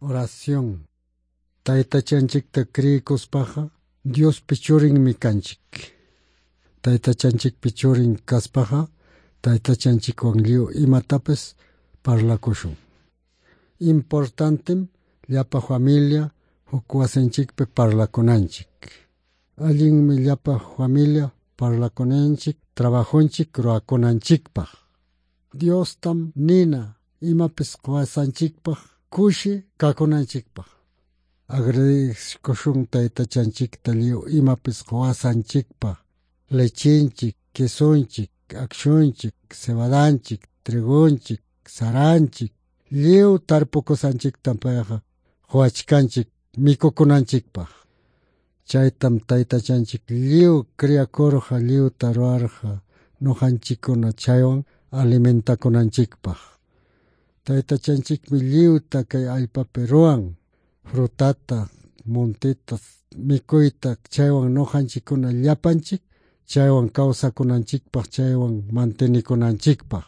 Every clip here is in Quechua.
Oración. Taytachanchikta creyikuspaqa Diospi churinmi kanchik. Taytachanchikpi churin kaspaqa taytachanchikwan lliw imatapis parlakushun. Importantem llapa familia huk wasinchikpi parlakunanchik. Allinmi llapa familia parlakunanchik trabajonchik ruwakunanchikpaq. Diostam nina imapis quwasanchikpaq kushi kakunanchikpaq. Agradezkushun taytachanchikta lliw imapis quwasanchikpaq. Lechinchik, quesonchik, akshunchik, cebadanchik, trigonchik, saranchik, lliw tarpukusanchiktam payqa quwachkanchik mikukunanchikpaq. Chaytam taytachanchik lliw criakurqa, lliwta ruwarqa ñuqanchikkuna chaywan alimentakunanchikpaq. Taytachanchikmi lliwta kay allpapi ruwan, frutata, monteta, mikuyta, chaywan ñuqanchikkuna llapanchik chaywan kawsakunanchikpaq, chaywan mantenikunanchikpaq.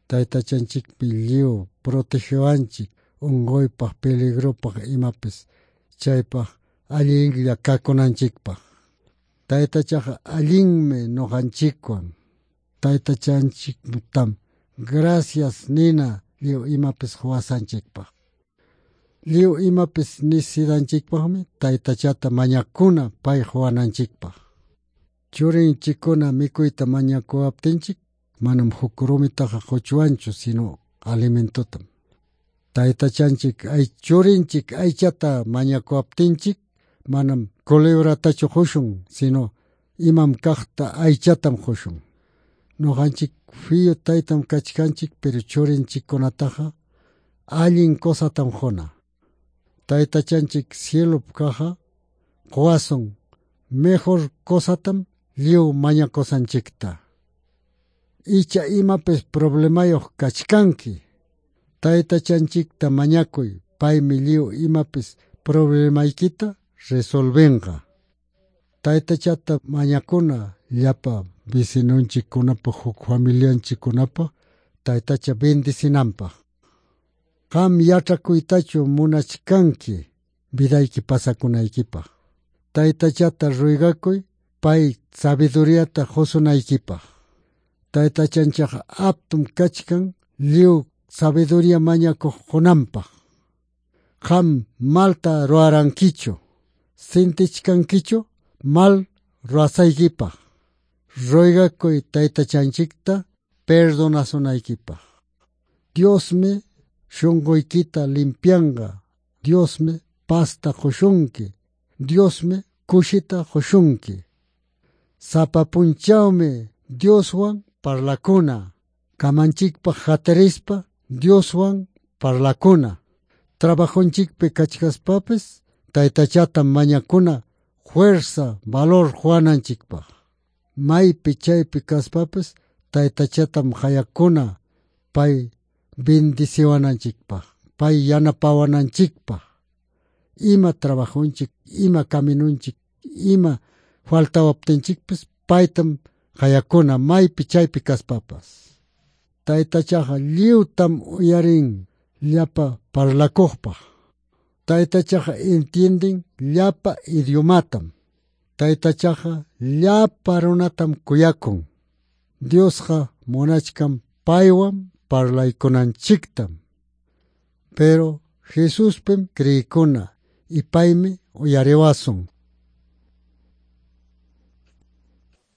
Taytachanchikmi lliw protegewanchik unquypaq, peligropaq imapis chaypaq allinlla kakunanchikpaq. Taytachaqa allinmi ñuqanchikwan. Taytachanchiktam gracias nina lliw imapis quwasanchikpaq. Lliw imapis nisidanchikpaqmi taytachata mañakuna pay quwananchikpaq. Churinchikkuna mikuyta mañakuwaptinchik manam huk rumitaqa quchwanchu sino alimentotam. Taytachanchik ay churinchik aychata mañakuwaptinchik manam culebratachu qushun sino imam kaqta aychatam qushun. Ñuqanchik fiyu taytam kachkanchik pero churinchikkunataqa allin cosatam quna. Taytachanchik cielopi kaqqa quwasun mejor cosatam lliw mañakusanchikta. Icha imapis problemayuq kachkanki. Taytachanchikta mañakuy, paymi lliw imapis problemaykita resolvenqa. Taytachata mañakuna llapa vecinonchikkunapaq, huk familianchikkunapaq taytacha bendicinanpaq. Qam yach'akuytachu munachkanki vidayki pasakunaykipaq. Taytachata ruegakuy pay sabiduriata qusunaykipaq. Taytachanchikqa aptum kachkan lliw sabiduría mañakuq qunanpaq. Qam malta ruwarankichu, sintichkankichu mal ruwasaykipaq. Ruegakuy taytachanchikta perdonasunaykipaq. Diosmi shunquykita limpianqa. Diosmi pazta qushunki. Diosmi kushita qushunki. Sapa punchawmi Dioswan parlakuna. Kamanchikpaq hatarispa Dioswan parlakuna. Trabajonchikpi kachkaspapis taytachatam mañakuna fuerza, valor quwananchikpaq. Maypi chaypi kaspapis taytachatam qayakuna pay bendiciwananchikpaq, pay yanapawananchikpaq. Ima trabajonchik, ima caminunchik, ima faltawaptinchikpis paytam qayakuna maypi chaypi kaspapas. Taytachaqa lliwtam uyarin llapa parlakuqpaq. Taytachaqa entienden llapa idiomatam. Taytachaqa llapa runatam kuyakun. Diosqa munachkan paywan parlaykunanchiktam. Pero Jesuspim creykuna y paymi uyariwasun.